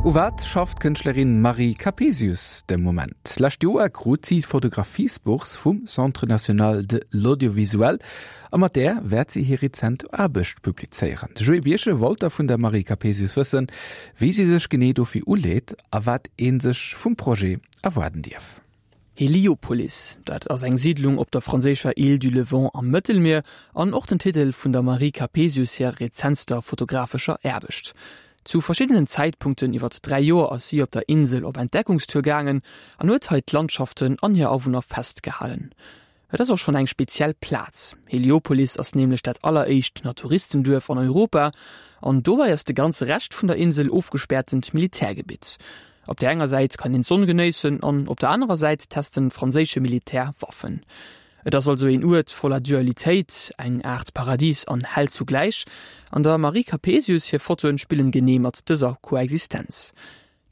U wat schafft d'Kënschtlerin Marie Capesius de Moment? D'lescht Joer krut si d'Fotografiesbourse vum Centre national de l'audiovisuel a mat där wäert si hir rezent Aarbecht publizéieren. De Joé Birchen wollt da vun der Marie Capesius wëssen, wéi si sech genee dofir uleet a wat ee sech vum Projet erwaarden dierf. Heliopolis, dat ass eng Siidlung op der franséischer Île du Levant am Mëttelmier an och den Titel vun der Marie Capesius hir rezentster fotografescher Aarbecht. Zu verschiddenen Zäitpunkten iwwert 3 Joer ass si op der Insel op Entdeckungstour gaangen an huet hei d'Landschaften an hir Awunner festgehalen. Et ass och schonn eng speziell Plaz, Heliopolis ass nämlech dat alleréischt Naturistenduerf an Europa an dobäi ass de ganze Rescht vun der Insel ofgespäertent Militärgebitt. Op där enger Säit kann een d'Sonn genéissen an op der anerer Säit testen franséische Militär Waffen. Et ass also een Uert voller Dualitéit, eng Aart Paradis an Hell zugläich. An der Marie Capesius hir Fotoen spillen genee mat dëser Koexistenz.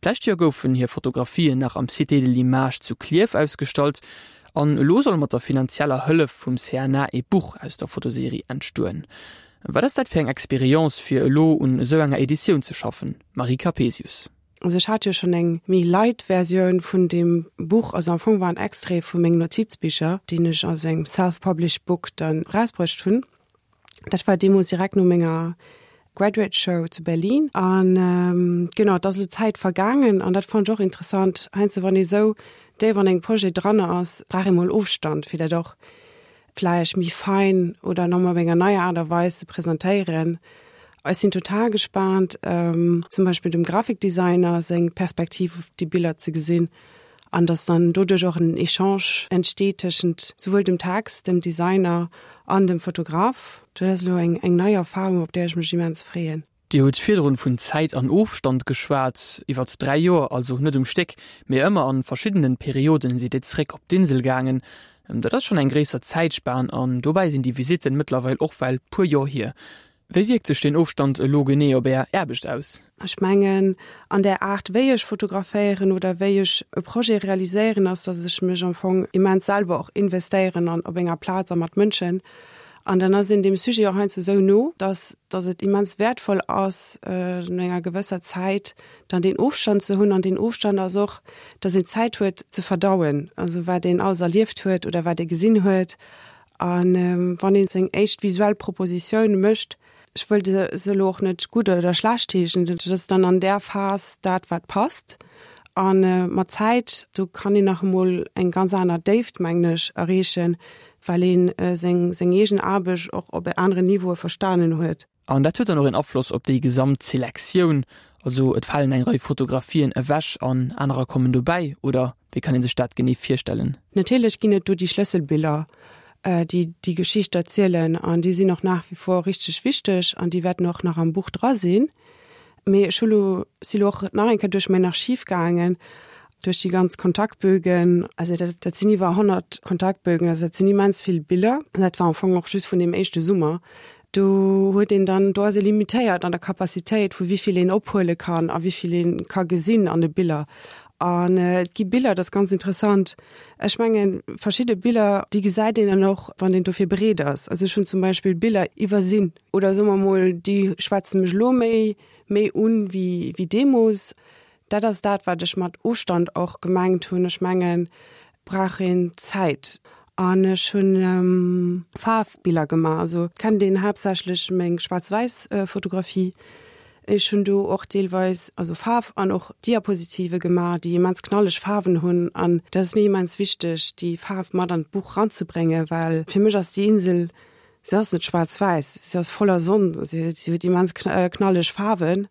D'lescht Joer goufen hir Fotografien nach am Cité de l'Image zu Klierf ausgestallt an elo soll mat der finanzieller Hëllef vum CNA ee Buch aus der Fotoserie entstoen. Wat ass dat fir eng Experience fir elo un esou enger Editioun ze schaffen, Marie Capesius? Also ech hat jo schonn eng méi light Versioun vun deem Buch, also am Fong war en Extrait vu mengen Notizbicher, deen ech a sou engem self-published book dann erausbruecht hunn. Dat war deemools direkt no menger Graduate Show zu Berlin. An genau, et ass elo Zäit vergaangen an dat fannen ech och interessant, heiansdo wann ee sou déif an engem Projet dran ass, brauch ee mol Ofstand, fir dat och vläicht méi fein oder nach mol op enger neier Aart a Weis ze presentéieren. Ech sinn total gespaant, zum Beispill dem Grafikdesigner seng Perspektiv op déi Biller ze gesinn an dass dann doduerch och en Echange entsteet tëschent souwuel dem Text, dem Designer an dem Fotograf. Dat ass elo eng eng nei Erfahrung, op där ech mech immens freeën. Dir hutt virdrun vun Zäit an Ofstand geschwat. Iwwert 3 Joer, also net um Stéck, mee ëmmer an verschiddenen Perioden sidd Dir zréck op d'Insel gaangen. Dat ass schonn eng gréisser Zäitspan an dobäi sinn déi Visitten mëttlerweil och well puer Joer hier. Wéi wierkt sech deen Ofstand elo genee op Är Aarbecht aus? Ech mengen, an där Aart wéi ech fotograféieren oder wéi ech e Projet realiséieren, ass, datt ech mech am Fong immens selwer och investéieren an op enger Plaz a mat Mënschen. An dann ass een deem Sujet och heiansdo esou no, dass, dass et immens wäertvoll ass, no enger gewësser Zäit dann deen Ofstand ze hunn. An deen Ofstand ass och, dass een Zäit huet ze verdauen, also wat een alles erlieft huet oder wat ee gesinn huet. A wann ee seng éischt visuell Propositioun mécht, ech wëll se elo och net gutt oder schlecht heeschen, dat ass dann an där Phas dat, wat passt. A mat Zäit, do kann een nach emol eng ganz aner Déift, mengen ech, erreechen, well een seng seng eegen Aarbecht och op aneren Niveaue verstanen huet. An dat huet dann och een Afloss op déi gesamt Selektioun, also et falen eng Rei Fotografien ewech an anerer kommen dobäi, oder wéi kann ee sech dat genee virstellen? Natierlech ginn et do déi Schlësselbiller, déi déi Geschicht erzielen an déi sinn och nach wie vor richteg wichteg an déi wäerten och nach am Buch dra sinn. Mee ech hu lo, si lo och nach eng Kéier duerch mäin Archiv gaangen, duerch déi ganz Kontaktbögen. Also dat, dat sinn iwwer 100 Kontaktbögen, also dat sinn immens vill Biller. An dat war am Fong och just vun deem éischte Summer. Do huet een dann, do ass ee limitéiert an der Capacitéit, vu wéi vill een ophuele kann a wéi vill ee ka gesinn an de Biller. An et gi Biller, dat ass ganz interessant, ech mengen, verschidde Biller, déi gesäit een dann och, wann een dofir bereet ass. Also ech hunn zum Beispill Biller iwwersinn. Oder soe mer mol, déi schwätze mech elo méi méi un wéi wéi deemoos. Dat ass dat, wat ech mat Ofstand och gemengt hunn. Ech mengen, brauch een Zäit. An ech hunn Faarfbiller gemaach. Also et kennt een haaptsächlech meng schwaarz-wäiss Fotografie. Ech hunn do och deelweis also Faarf an och Diapositive gemaach, déi immens knalleg Faarwen hunn. An dat ass mir immens wichteg, déi Faarf mat an d'Buch ranzebréngen, well fir mech ass déi Insel Si ass net schwaarz-wäiss, si ass voller Sonn, si huet immens knalleg Faarwen.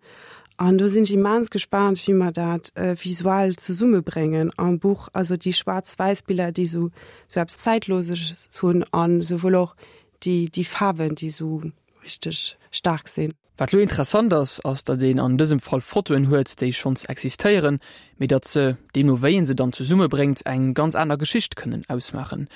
An do sinn ech immens gespaant, wéi mer dat visuell zesummebréngen am Buch. Also déi schwaarz-wäiss Biller, déi esou esou eppes Zäitloses hunn an esouwuel och déi déi Faarwen, déi esou richteg staark sinn. Wat lo interessant ass, ass datt een an dësem Fall Fotoen huet, déi schonns existéieren, mee datt se, deemno wéi een se dann zesummebréngt, eng ganz aner Geschicht kënnen ausmaachen.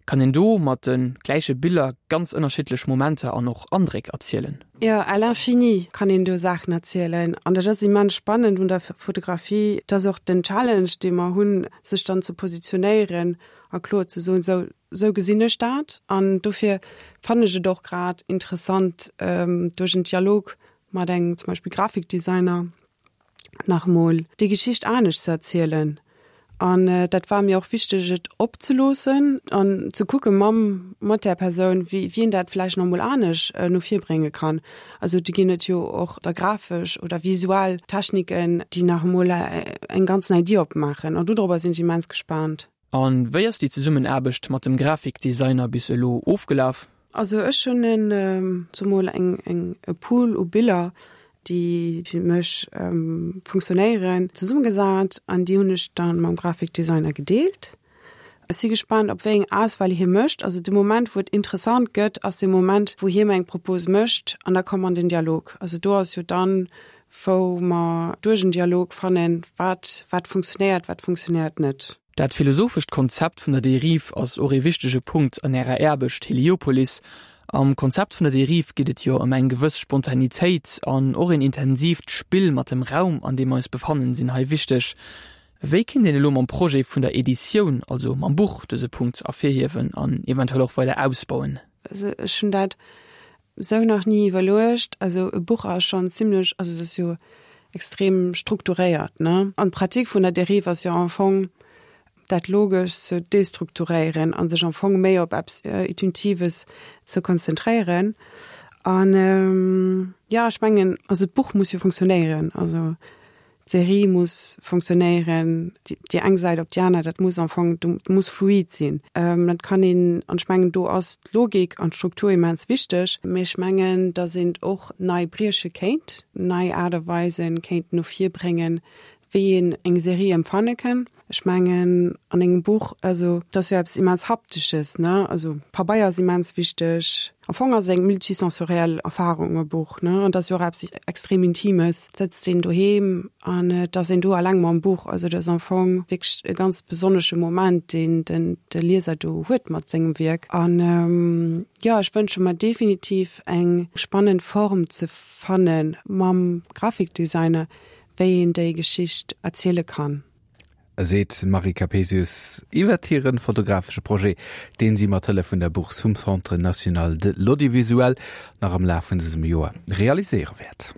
Kann een do mat de gläiche Biller ganz ënnerschiddlech Momenter an och Andréck erzielen? Jo, à l'infini kann een do Saachen erzielen an dat ass immens spannend un der Fotografie. Et ass och den Challenge, dee mer hunn, sech dann ze positionéieren a kloer ze soen, sou, Sou gesinn ech dat an dofir fannen ech et och grad interessant duerch en Dialog mat engem zum Beispill Grafikdesigner. nach emol déi Geschicht anescht ze erzielen. An dat war mir och wichteg, et opzeloossen an ze kucke mam, mat där Persoun, wéi wien dat vläicht nach emol anescht no vir brénge kann. Also do ginn et jo och da grafesch oder visuell Techniken, déi nach emol eng ganz nei Dier opmaachen. An dodropper sinn ech immens gespaant. A wéi ass déi Zesummenaarbecht mat dem Grafikdesigner bis elo ofgelaf? Also ech hunn en, soe mol, eng, eng, e Pool u Biller, déi fir mech funktionéieren, zesummegesat an déi hunn ech dann mam Grafikdesigner gedeelt. Ech si gespaant, op wéi eng Auswahl hie mécht. Also de Moment, wou et interessant gëtt, ass dee Moment, wou hie mer eng Propose mécht an da komme mer an den Dialog. Also do ass jo dann, wou mer duerch en Dialog fannen, wat, wat funktionéiert, wat funktionéiert net. Dat philosophescht Konzept vun der Dérive ass och ee wichtege Punkt an Ärer Aarbecht Heliopolis. Am Konzept vun der Dérive geet et jo ëm eng gewëss Spontanitéit an och een intensiivt Spill mat dem Raum, an deem mer eis befannen, sinn hei wichteg. Wéi kinnt een elo mam Projet vun der Editioun, also mam Buch, dëse Punkt ervirhiewen an eventuell och weider ausbauen? Also ech hunn dat Sou nach ni iwwerluecht. Also e Buch ass schonn zimlech, also et ass jo extrem strukturéiert, ne? An d'Pratik vun der Dérive ass jo am Fong dat logesch ze destrukturéieren a sech am Fong méi op eppes Intuitives ze konzentréieren. An jo, ech mengen, also d'Buch muss jo funktionéieren. Also D'Serie muss funktionéieren, déi eng Säit op déi aner, dat muss am Fong, dat muss fluid sinn. Dat kann een, an ech mengen, do ass d'Logik an d'Struktur immens wichteg, mee ech mengen, datt een och nei brieche kéint, nei Aart a Weisen kéint no vir bréngen, wéi een eng Serie empfanne kënn. Ech mengen an engem Buch, also et ass jo eppes immens Haptesches, ne, also Pabeier ass immens wichteg. Am Fong ass et eng multisensoriell Erfarung e Buch, ne, an et ass jo och eppes extrem Intimes. Et sëtzt een doheem an et ass een do alleng mam Buch. Also et ass am Fong wierklech e ganz besonnesche Moment, deen den de Lieser do huet mat sengem Wierk. An jo, ech wënsche mer definitiv eng spannend Form ze fanne mam Grafikdesigner, wéi een déi Geschicht erziele kann. Seet d'Marie Capesius iwwert hire fotografesche Projet, deen si mat Hëllef vun der Bourse vum Centre national de l'audiovisuel nach am Laf vun dësem Joer realiséiere wäert.